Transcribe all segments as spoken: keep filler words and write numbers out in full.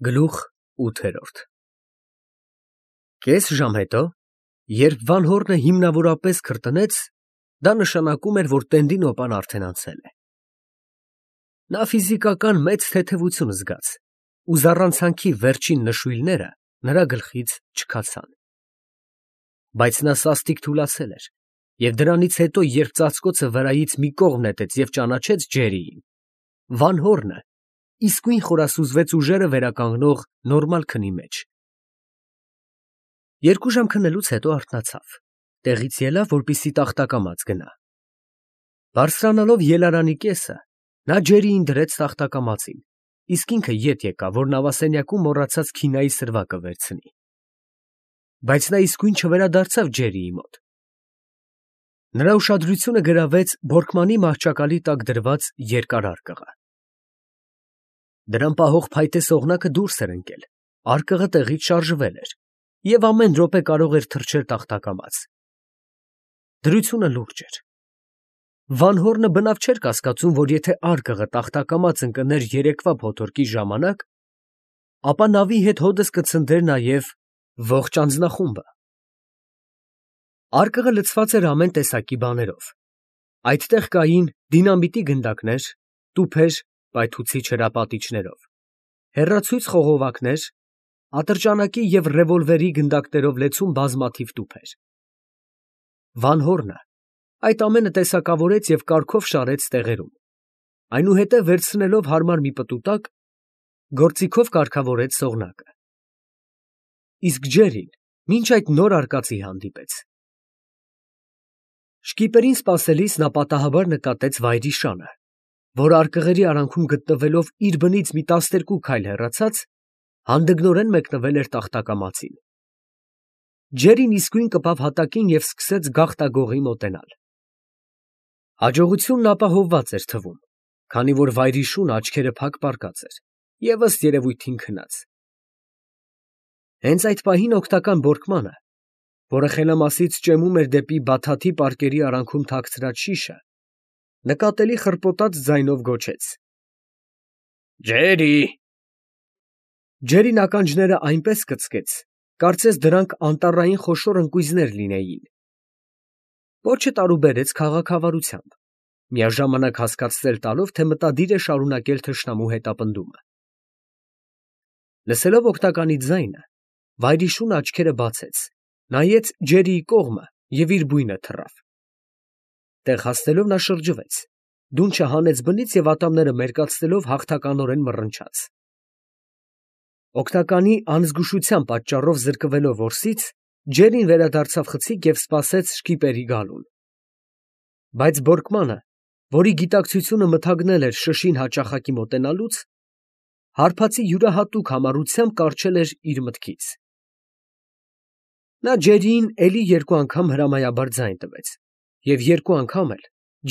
Գլուխ ութ Կես ժամ հետո, երբ Վանհորնը հիմնավորապես քրտնեց, դա նշանակում էր, որ Տենդինոպան արդեն անցել է։ Նա ֆիզիկական մեծ թեթևություն զգաց, ու զառանցանքի վերջին նշույլները նրա գլխից չքացան։ Բայց նա սաստիկ թուլացել էր, և դրանից հետո, երբ ծածկոցը վրայից մի կողմ նետեց և ճանաչեց Ջերրիին, Վանհորնը իսկույն խորասուզվեց ուժերը վերականգնող նորմալ քնի մեջ։ Երկու ժամ քնելուց հետո արթնացավ, տեղից ելավ, որպեսզի տախտակամաց գնա։ Բարձրանալով ելարանի կեսը, նա Ջերրիին դրեց տախտակամածին, իսկ ինքը ետ եկավ, որ նավասենյակում մոռացած քինայի սրվակը վերցնի։ Բայց նա իսկույն չվերադարձավ Ջերրիի մոտ։ Նրա ուշադրությունը գրավեց Բորկմանի մահճակալի տակ դրված երկար արկղը։ Դրան պահող փայտե սողնակը դուրս էր ընկել, արկղը տեղից շարժվել էր, և ամեն րոպե կարող էր թռչել տախտակամաց։ Դրությունը լուրջ էր։ Վանհորնը բնավ չէր կասկածում, որ եթե արկղը տախտակամաց ընկներ երեկվա փոթորկի ժամանակ, ապա նավի հետ հօդս կցնդեր նաև ողջ անձնախումբը։ Արկղը լցված էր ամեն տեսակի բաներով. այդտեղ կային դինամիտի գնդակներ, տուփեր պայթուցիչ հրապատիչներով, հեռացույց խողովակներ, ատրճանակի և ռևոլվերի գնդակներով լեցուն բազմաթիվ տուփեր։ Վանհորնը այդ ամենը տեսակավորեց և կարգով շարեց տեղերում, այնուհետև վերցնելով հարմար մի պտուտակ, գործիքով կարգավորեց սողնակը։ Իսկ Ջերրին մինչ այդ նոր արկածի հանդիպեց։ Շկիպերին սպասելիս նա պատահաբար նկատեց Վայրիշանը, որ արկղերի արանքում գտնվելով իր բնից մի տասներկու քայլ հեռացած, հանդգնորեն մեկնվել էր տախտակամածին։ Ջերրին իսկույն կպավ հատակին և սկսեց գաղտագողի մոտենալ։ Հաջողությունն ապահովված էր թվում, քանի որ Վայրիշունը աչքերը փակ պառկած էր և ըստ երևույթին քնած։ Հենց այդ պահին օգնական Բորկմանը, որը խելամասից ճեմում էր դեպի բաթաթի պարկերի արանքում թաքցրած շիշը, նկատելի խռպոտած ձայնով գոչեց. «Ջերրի»։ Ջերրին ականջները այնպես կծկեց, կարծես դրանք անտառային խոշոր ընկույզներ լինեին։ Պոչը տարուբերեց քաղաքավարությամբ, միաժամանակ հասկացնել տալով, թե մտադիր է շարունակել թշնամու հետապնդումը։ Լսելով օգնականի ձայնը, Վայրիշունը աչքերը բացեց, նայեց Ջերրիի կողմը և իր բույնը թռավ։ Տեղ հասնելով նա շրջվեց, դունչը հանեց բնից և ատամները մերկացնելով հաղթականորեն մռնչաց։ Օգնականի անզգուշության պատճառով զրկվելով որսից, Ջերրին վերադարձավ խցիկ և սպասեց շկիպերի գալուն։ Բայց Բորկմանը, որի գիտակցությունը մթագնել էր շշին հաճախակի մոտենալուց, հարբածի յուրահատուկ համառությամբ կառչել էր իր մտքից։ Նա Ջերրիին էլի երկու անգամ հրամայաբար ձայն տվեց, և երկու անգամ էլ,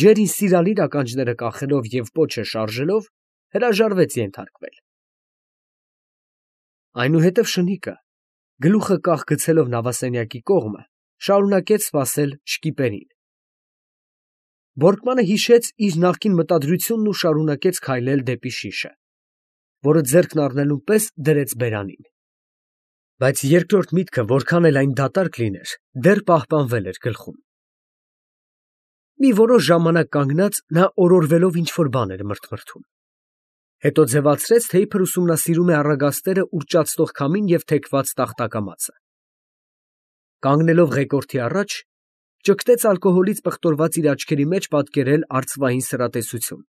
Ջերրին սիրալիր ականջները կախելով և պոչը շարժելով, հրաժարվեց ենթարկվել։ Այնուհետև շնիկը, գլուխը կախ գցելով նավասենյակի կողմը, շարունակեց սպասել շկիպերին։ Բորկմանը հիշեց իր նախկին մտադրությունն ու շարունակեց քայլել դեպի շիշը, որը ձեռքն առնելուն պես դրեց բերանին։ Բայց երկրորդ միտքը, որքան էլ այն դատարկ լիներ, դեռ պահպանվել էր գլխում։ Մի որոշ ժամանակ կանգնած, նա օրորվելով ինչ֊որ բան էր մրթմրթում։ Հետո ձևացրեց, թե իբր ուսումնասիրում է առագաստերը ուռճացնող քամին և թեքված տախտակամածը։ Կանգնելով ղեկորդի առաջ, ճգտեց ալկոհոլից պղտորված իր աչքերի մեջ պատկերել արծվային սրատեսություն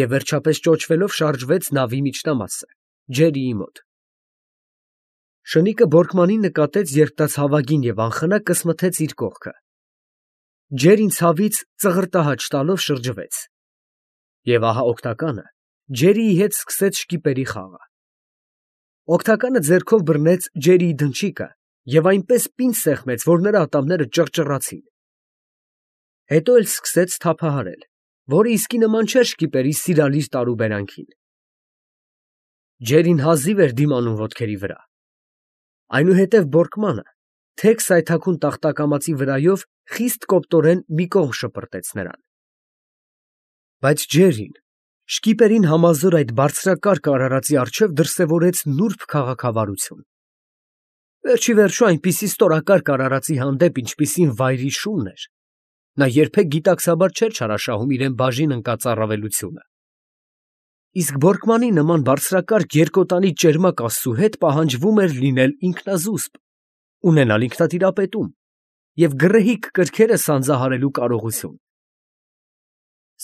և վերջապես ճոճվելով շարժվեց նավի միջնամասը, Ջերրիի մոտ։ Շնիկը Բորկմանին նկատեց, երբ նա ցավագին և անխնա կսմթեց իր կողքը։ Ջերրին ցավից ծղրտահաճ տալով շրջվեց։ Եվ ահա օգնականը Ջերրիի հետ սկսեց շկիպերի խաղը։ Օգնականը ձեռքով բռնեց Ջերրիի դնչիկը և այնպես պինդ սեղմեց, որ նրա ատամները ճռճռացին։ Հետո էլ սկսեց թափահարել, որը իսկի նման չէր շկիպերի սիրալիր տարուբերանքին։ Ջերրին հազիվ էր դիմանում ոտքերի վրա։ Այնուհետև Բորկմանը թեք սայթաքուն տախտակամածի վրայով խիստ կոպտորեն մի կողմ շպրտեց նրան։ Բայց Ջերրին Շկիպերին համազոր այդ բարձրակարգ արարածի առջև դրսևորեց նուրբ քաղաքավարություն։ Վերջի վերջո այնպիսի ստորակարգ արարածի հանդեպ, ինչպիսին վայրի շունն էր, նա երբեք գիտակցաբար չէր չարաշահում իրեն բաժին ընկած առավելությունը։ Իսկ Բորկմանի նման բարձրակարգ երկոտանի ճերմակ աստծու հետ պահանջվում էր լինել ինքնազուսպ, ունենալ ինքնատիրապետում և գռեհիկ կրքերը սանձահարելու կարողություն։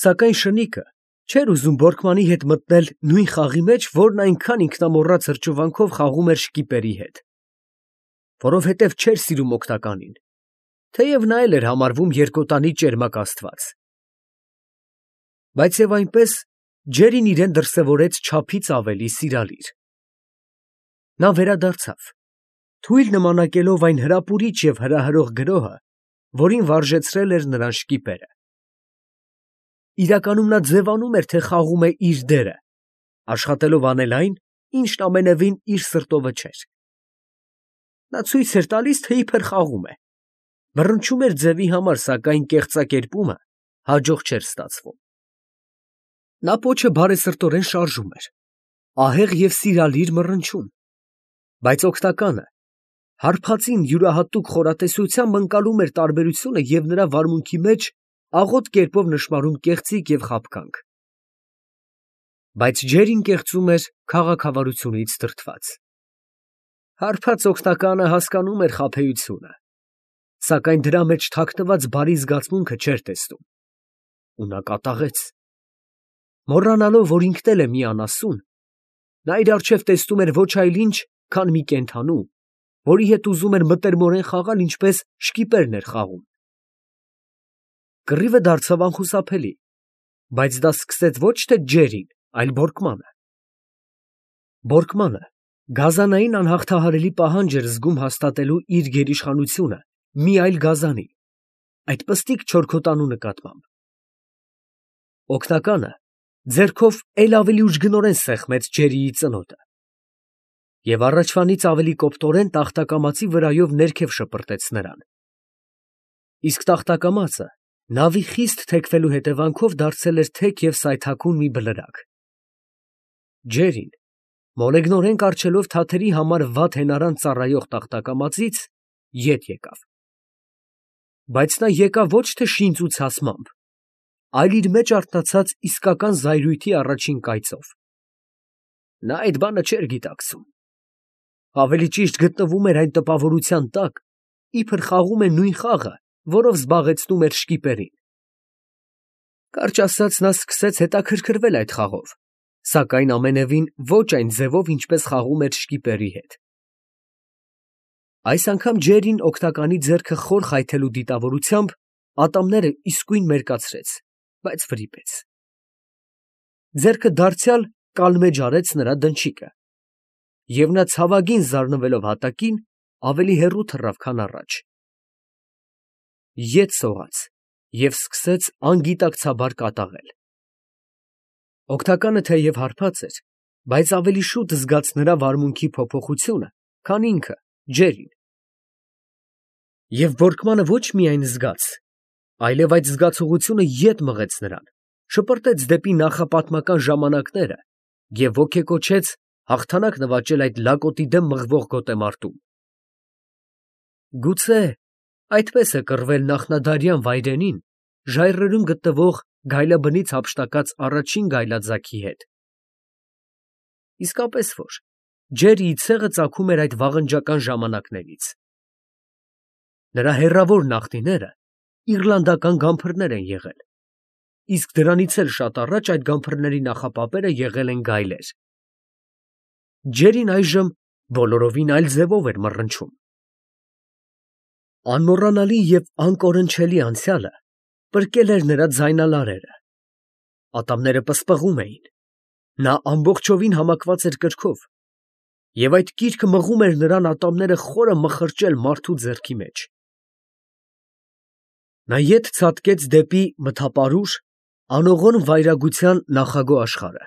Սակայն շնիկը չէր ուզում Բորկմանի հետ մտնել նույն խաղի մեջ, որն այնքան ինքնամոռաց հրճվանքով խաղում էր շկիպերի հետ, որովհետև չէր սիրում օգնականին, թեև նա էլ էր համարվում երկոտանի ճերմակ աստված։ Բայց և այնպես Ջերին իրեն դրսևորեց չափից ավելի սիրալիր։ Նա վերադարձավ, թույլ նմանակելով այն հրապուրիչ և հրահրող գրոհը, որին վարժեցրել էր նրան շկիպերը։ Իրականում նա ձևանում էր, թե խաղում է իր դերը, աշխատելով անել այն, ինչն ամենևին իր սրտովը չէր։ Նա ցույց էր տալիս, թե իբր խաղում է, բռնչում էր ձևի համար, սակայն կեղծակերպումը հաջող չէր ստացվում։ Նա պոչը բարեսրտորեն շարժում էր, ահեղ և սիրալիր մռնչում, բայց օգնականը հարբածին յուրահատուկ խորատեսությամբ ընկալում էր տարբերությունը և նրա վարմունքի մեջ աղոտ կերպով նշմարում կեղծիք և խաբկանք։ Բայց Ջերին կեղծում էր քաղաքավարությունից դրդված։ Հարբած օգնականը հասկանում էր խաբեությունը, սակայն դրա մեջ թաքնված բարի զգացմունքը չէր տեսնում, ու նա կատաղեց։ Մոռանալով, որ ինքն էլ է մի անասուն, նա իր առջև տեսնում էր ոչ այլ ինչ, քան մի կենդանու, որի հետ ուզում էր մտերմորեն խաղալ, ինչպես շկիպերն էր խաղում։ Կռիվը դարձավ անխուսափելի, բայց դա սկսեց ոչ թե Ջերին, այլ Բորկմանը։ Բորկմանը գազանային անհաղթահարելի պահանջ էր զգում հաստատելու իր գերիշխանությունը մի այլ գազանի, այդ պստիկ չորքոտանու նկատմամբ։ Օգնականը ձեռքով էլ ավելի ուժգնորեն սեղմեց Ջերիի ծնոտը և առաջվանից ավելի կոպտորեն տախտակամածի վրայով ներքև շպրտեց նրան։ Իսկ տախտակամածը նավի խիստ թեքվելու հետևանքով դարձել էր թեք և սայթաքուն մի բլրակ։ Ջերին, մոլեգնորեն կառչելով թաթերի համար վատ հենարան ծառայող տախտակամածից, ետ եկավ։ Բայց նա եկավ ոչ թե շինծ ու ցասմամբ, այլ իր մեջ արթնացած իսկական զայրույթի առաջին կայծով։ Նա այդ բանը չէր գիտակցում, ավելի ճիշտ գտնվում էր այն տպավորության տակ, իբր խաղում է նույն խաղը, որով զբաղեցնում էր շկիպերին։ Կարճ ասած, նա սկսեց հետաքրքրվել այդ խաղով, սակայն ամենևին ոչ այն ձևով, ինչպես խաղում էր շկիպերի հետ։ Այս անգամ Ջերին օգնականի ձեռքը խոր խայթելու դիտավորությամբ ատամները իսկույն մերկացրեց, բայց վրիպեց։ Ձեռքը դարձյալ կալմեջ արեց նրա դնչիկը, և նա ցավագին զարնվելով հատակին, ավելի հեռու թռավ, քան առաջ։ Ետ սողաց և սկսեց անգիտակցաբար կատաղել։ Օգնականը թեև հարբած էր, բայց ավելի շուտ զգաց նրա վարմունքի փոփոխությունը, քան ինքը՝ Ջերին։ Եվ Բորկմանը ոչ միայն զգաց, այլև այդ զգացողությունը ետ մղեց նրան, շպրտեց դեպի նախապատմական ժամանակները և ոգեկոչեց հաղթանակ նվաճել այդ լակոտի դեմ մղվող գոտեմարտում։ Գուցե այդպես է կռվել նախնադարյան վայրենին ժայռերում գտնվող գայլաբնից հափշտակած առաջին գայլաձագի հետ։ Իսկապես որ Ջերիի ցեղը ծագում էր այդ վաղնջական ժամանակներից։ Նրա հեռավոր նախնիները իռլանդական գամփրներ են եղել, իսկ դրանից էլ շատ առաջ այդ գամփրների նախապապերը եղել են գայլեր։ Ջերին այժմ բոլորովին այլ ձևով էր մռնչում։ Անմոռանալի և անկորնչելի անցյալը պրկել էր նրա ձայնալարերը, ատամները պսպղում էին, նա ամբողջովին համակված էր կրքով, և այդ կիրքը մղում էր նրան ատամները խորը մխրճել մարդու ձեռքի մեջ։ Նա ետ ցատկեց դեպի մթապարուր, անողորմ վայրագության նախագո աշխարհը,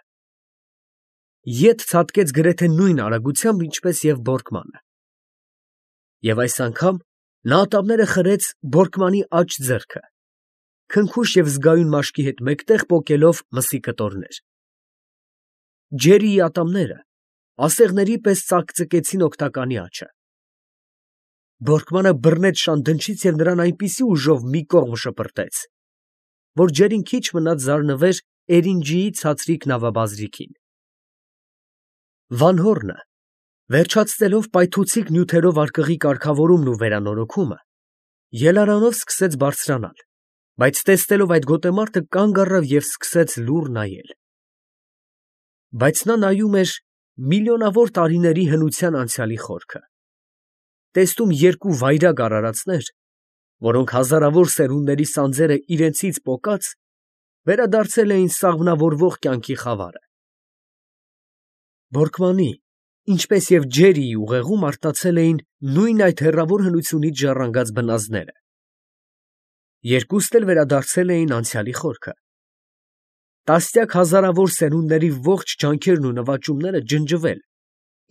ետ ցատկեց գրեթե նույն արագությամբ, ինչպես և Բորկմանը։ Եվ այս անգամ նա ատամները խրեց Բորկմանի աջ ձեռքը, քնքուշ և զգայուն մաշկի հետ մեկտեղ պոկելով մսի կտորներ։ Ջերիի ատամները ասեղների պես ծակծկեցին օգնականի աջը։ Բորկմանը բռնեց շան դնչից և նրան այնպիսի ուժով մի կողմ շպրտեց, որ ջերին քիչ մնաց զարնվեր էրինջիի ցածրիկ նավաբազրիքին։ Վան Հորնը, վերջացնելով պայթուցիկ նյութերով արկղի կարգավորումն ու վերանորոգումը, ելարանով սկսեց բարձրանալ, բայց տեսնելով այդ գոտեմարտը կանգ առավ և սկսեց լուռ նայել։ Բայց նա նայում էր միլիոնավոր տարիների հնության անցյալի խորքը, տեսնում երկու վայրագ արարածներ, որոնք հազարավոր սերունդների սանձերը իրենցից պոկած վերադարձել էին սաղմնավորվող կյանքի խավարը։ Բորկմանի, ինչպես և Ջերիի ուղեղում արտացել էին նույն այդ հեռավոր հնությունից ժառանգած բնազդները։ Երկուսն էլ վերադարձել էին անցյալի խորքը։ Տասնյակ հազարավոր սերունդների ողջ ջանքերն ու նվաճումները ջնջվել,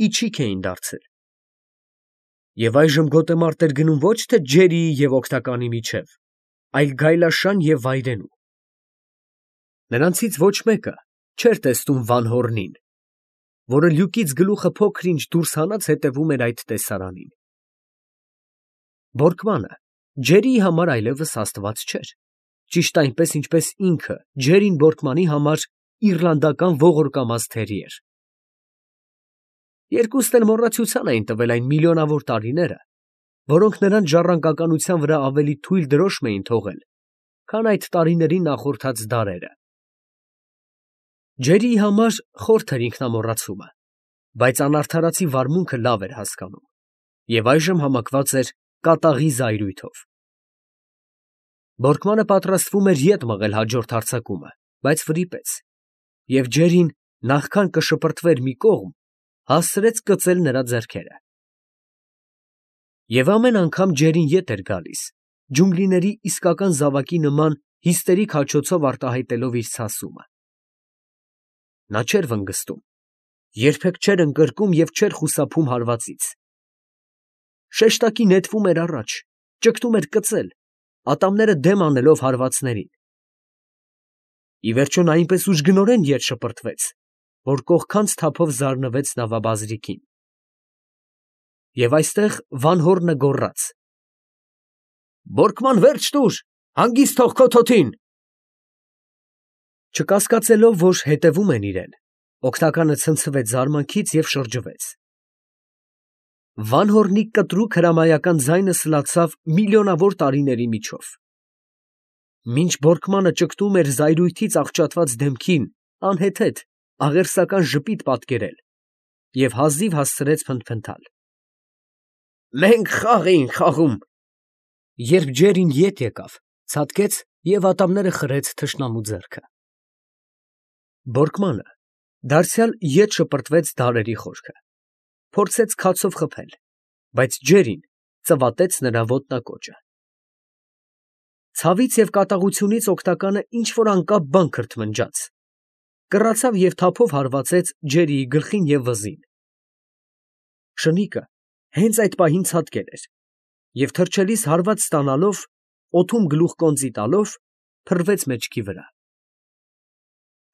իչիք էին դարձել։ Եվ այժմ գոտեմարտ էր գնում ոչ թե Ջերիի և օգնականի միջև, այլ գայլաշան և վայրենու։ Նրանցից ոչ մեկը չէր տեսնում Վան Հորնին, որը լյուկից գլուխը փոքր֊ինչ դուրս հանած հետևում էր այդ տեսարանին։ Բորկմանը Ջերիի համար այլևս աստված չէր, ճիշտ այնպես, ինչպես ինքը Ջերին Բորկմանի համար իռլանդական ողորկամած թերի էր։ Երկուսն էլ մոռացության էին տվել այն միլիոնավոր տարիները, որոնք նրանց ժառանգականության վրա ավելի թույլ դրոշմ էին թողել, քան այդ տարիներին նախորդած դարերը։ Ջերիի համար խորթ էր ինքնամոռացումը, բայց անարդարացի վարմունքը լավ էր հասկանում և այժմ համակված էր կատաղի զայրույթով։ Բորկմանը պատրաստվում էր ետ մղել հաջորդ հարձակումը, բայց վրիպեց, և Ջերին, նախքան կշպրտվեր մի կողմ, հասցրեց կծել նրա ձեռքերը։ Եվ ամեն անգամ Ջերին ետ էր գալիս, ջունգլիների իսկական զավակի նման հիստերիկ հաչոցով արտահայտելով իր ցասումը։ Նա չէր վնգստում, երբեք չէր ընկրկում և չէր խուսափում հարվածից։ Շեշտակի նետվում էր առաջ, ճգտում էր կծել, ատամները դեմ անելով հարվածներին։ Ի վերջո նա այնպես ուժգնորեն ետ շպրտվեց, որ կողքանց թափով զարնվեց նավաբազրիկին։ Եվ այստեղ Վան Հորնը գոռաց. «Բորկման, վերջ տուր, հանգիստ թող քո թոթին»։ Չկասկածելով, որ հետևում են իրան, օգնականը ցնցվեց զարմանքից և շրջվեց։ Վան Հորնի կտրուկ հրամայական ձայնը սլացավ միլիոնավոր տարիների միջով։ Մինչ Բորկմանը ճգտում էր զայրույթից աղճատված դեմքին անհեթեթ, աղերսական ժպիտ պատկերել և հազիվ հասցրեց փնթփնթալ. «Մենք խաղ էինք խաղում»։ Երբ Ջերին ետ եկավ, ցատկեց և ատամները խրեց թշնամու ձեռքը։ Բորկմանը դարձյալ ետ շպրտվեց դարերի խորքը, փորձեց քացով խփել, բայց Ջերին ծվատեց նրա ոտնակոճը։ Ցավից և կատաղությունից օգնականը ինչ֊որ անկապ բան քրթմնջաց, կռացավ և թափով հարվածեց Ջերիի գլխին և վզին։ Շնիկը հենց այդ պահին ցատկել էր և թռչելիս հարված ստանալով, օդում գլուխկոնծի տալով, փռվեց մեջքի վրա։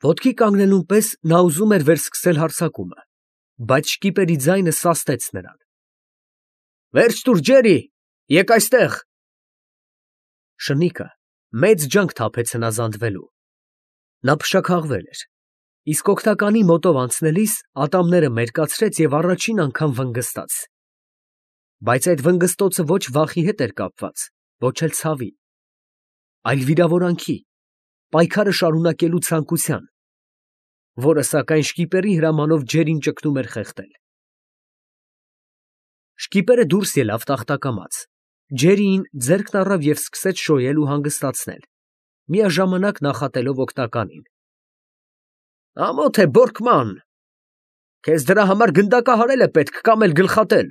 Ոտքի կանգնելուն պես նա ուզում էր վերսկսել հարձակումը, բայց շկիպերի ձայնը սաստեց նրան։ «Վերջ տուր, Ջերի, եկ այստեղ»։ Շնիկը մեծ ջանք թափեց հնազանդվելու։ Նա փշաքաղվել էր, իսկ օգնականի մոտով անցնելիս ատամները մերկացրեց և առաջին անգամ վնգստաց։ Բայց այդ վնգստոցը ոչ վախի հետ էր կապված, ոչ էլ ցավի, այլ վիրավորանքի, պայքարը շարունակելու ցանկության, որը, սակայն, շկիպերի հրամանով Ջերին ճգնում էր խեղդել։ Շկիպերը դուրս ելավ տախտակամաց, Ջերիին ձեռքն առավ և սկսեց շոյել ու հանգստացնել, միաժամանակ նախատելով օգնականին. «Ամոթ է, Բորկման, քեզ դրա համար գնդակահարել է պետք կամ էլ գլխատել։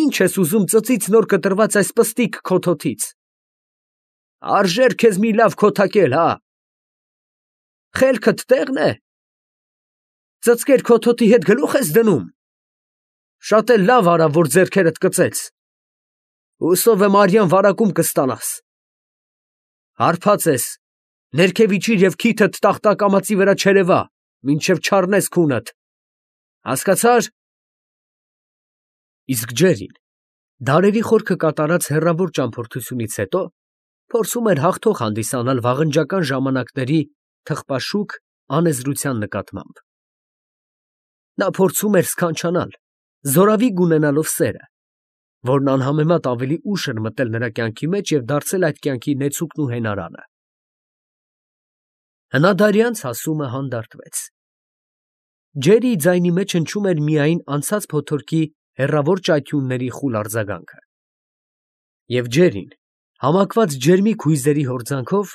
Ի՞նչ ես ուզում ծծից նոր կտրված այս պստիկ քո թոթից։ Արժե՞ր քեզ մի լավ քոթակել, հա։ Խելքդ տե՞ղն է։ Ծծկեր քո թոթի հետ գլուխ ես դնում։ Շատ էլ լավ արավ, որ ձեռքերդ կծեց։ Հուսով եմ արյան վարակում կստանաս։ Հարբած ես, ներքև իջիր և քիթդ տախտակամածի վրա չերևա, մինչև չառնես քունդ, հասկացա՞ր։ Իսկ Ջերին դարերի խորքը կատարած հեռավոր ճամփորդությունից հետո փորձում էր հաղթող հանդիսանալ վաղնջական ժամանակների թխպաշուկ անեզրության նկատմամբ։ Նա փորձում էր սքանչանալ, զորավիգ ունենալով սերը, որն անհամեմատ ավելի ուշ էր մտել նրա կյանքի մեջ և դարձել այդ կյանքի նեցուկն ու հենարանը։ Հնադարյանց հասումը հանդարտվեց։ Ջերիի ձայնի մեջ հնչում էր միայն անցած փոթորկի հեռավոր ճայթյունների խուլ արձագանքը։ Եվ Ջերին, համակված ջերմիկ հույզերի հորձանքով,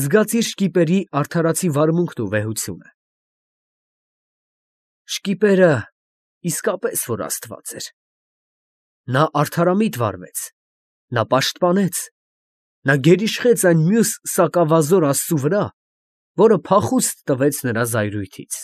զգաց իր շկիպերի արդարացի վարմունքն ու վեհությունը։ Շկիպերը իսկապես որ աստված էր։ Նա արդարամիտ վարվեց, նա պաշտպանեց, նա գերիշխեց այն մյուս սակավազոր աստծու վրա, որը փախուստ տվեց նրա զայրույթից։